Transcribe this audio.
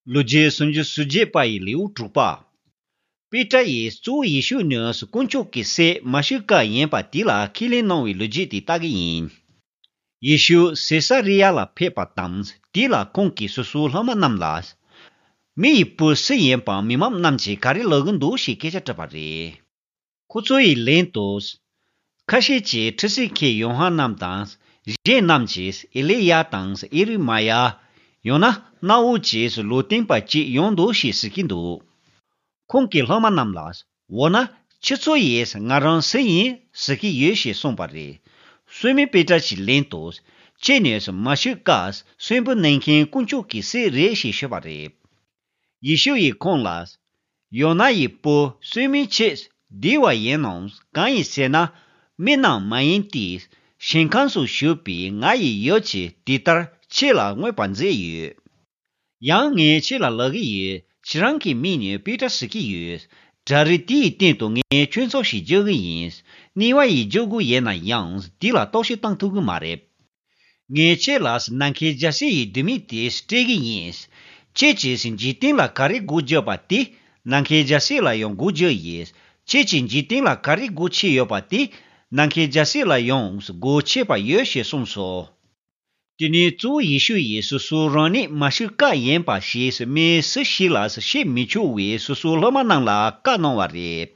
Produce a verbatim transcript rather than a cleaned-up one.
ལོ་རྒྱུས་སུམ་ཅུ་སོ་བརྒྱད་པ་ཡི་ལེའུ་དྲུག་པ། པེ་ཏྲ་ཡིས་གཙོ་བོ་ཡེ་ཤུ་ནི་དཀོན་མཆོག་གི་སྲས་མ་ཤི་ཀ་ཡིན་པ་དེ་ལ་ཁས་ལེན་གནང་བའི་ལོ་རྒྱུས་དེ་ལྟ་གི་ཡིན། ཡེ་ཤུ་སེ་ས་རི་ཡ་ལ་ཕེབས་པ་དང་དེ་ལ་ཁོང་གིས་སོ་སོའི་སློབ་མ་རྣམས་ལ། མི་ཡི་བུ་སུ་ཡིན་པ་མི་མང་རྣམས་ཀྱིས་ག་རེ་ལབ་གི་འདུག་ཞེས་སྐད་ཆ་དྲིས་པ་རེད། ཁོ་ཚོ་ཡིས་ལན་དུ། ཁ་ཤས་ཀྱིས་ཁྲུས་གསོལ་མཁན་ཡོ་ཧ་ནན་དང་། གཞན་རྣམས་ཀྱིས་ཨེ་ལི་ཡ་དང་ཨེ་རི་མ་ཡ། ཡང་ན་གནའ་བོ་ཅིག་ལུང་སྟོན་པ་ཅིག་ཡོང་འདུག་ཞེས་ཟེར་གྱི་འདུག་ཁོང་གིས་སློབ་མ་རྣམས་ལ། འོ་ན་ཁྱེད་ཚོ་ཡིས་ང་རང་སུ་ཡིན་ཟེར་གྱི་ཡོད་ཞེས་གསུངས་པ་རེད། སི་མོན་པེ་ཏྲ་གྱིས་ལན་དུ། ཁྱེད་ནི་མ་ཤི་ཀ་གསོན་པོ་གནང་མཁན་དཀོན་མཆོག་གི་སྲས་རེད་ཞེས་ཞུས་པ་རེད། ཡེ་ཤུ་ཡིས་ཁོང་ལ། ཡོ་ན་ཡི་བུ་སི་མོན་ཁྱེད་བདེ་བ་ཡིན་ནམ། གང་ཡིན་ཟེར་ན། མི་རྣམས་མ་ཡིན་ཏེ། ཞིང་ཁམས་སུ་བཞུགས་པའི་ང་ཡི་ཡབ་ཀྱིས་དེ་ལྟར་ཁྱེད་ལ་མངོན་པར་མཛད་ཡོད། ཡང་ངས་ཁྱེད་ལ་ལབ་ཀྱི་ཡོད། ཁྱེད་རང་གི་མིང་ནི་པེ་ཏྲ་ཟེར་གྱི་ཡོད། བྲག་རི་དེ་ཡི་སྟེང་དུ་ངས་ཁྱོད་ཚོགས་ཤིག་རྒྱག་གི་ཡིན། གནས་པ་ཡིས་རྒྱག་དགོས་ཡོད་ན་ཡང་དེ་ལ་རྟོག་ཞིབ་བཏང་ཐུབ་ཀྱི་མ་རེད། ངས་ཁྱེད་ལ་ནམ་མཁའི་རྒྱལ་སྲིད་ཡི་ལྡེ་མིག་དེ་སྤྲད་ཀྱི་ཡིན། ཁྱེད་ཀྱིས་འཇིག་རྟེན་ལ་ག་རེ་སྒོ་བརྒྱབ་པ་དེ་ནམ་མཁའི་རྒྱལ་སྲིད་ལ་ཡང་སྒོ་བརྒྱབ་ཡིན། ཁྱེད་ཀྱིས་འཇིག་རྟེན་ལ་ག་རེ་སྒོ་ཕྱེ་ཡོད་པ་དེ་ནམ་མཁའི་རྒྱལ་སྲིད་ལ་ཡང་སྒོ་ཕྱེ་བ་ཡོད་ཞེས་གསུངས་སོ། དེ་ནས་གཙོ་བོ་ཡེ་ཤུ་ཡིས་སོ་སོ་རང་ཉིད་མ་ཤི་ཀ་ཡིན་པ་ཞེས་མི་སུ་ཞིག་ལ་བཤད་མི་ཆོག་པའི་སོ་སོའི་སློབ་མ་རྣམས་ལ་བཀའ་གནང་བ་རེད།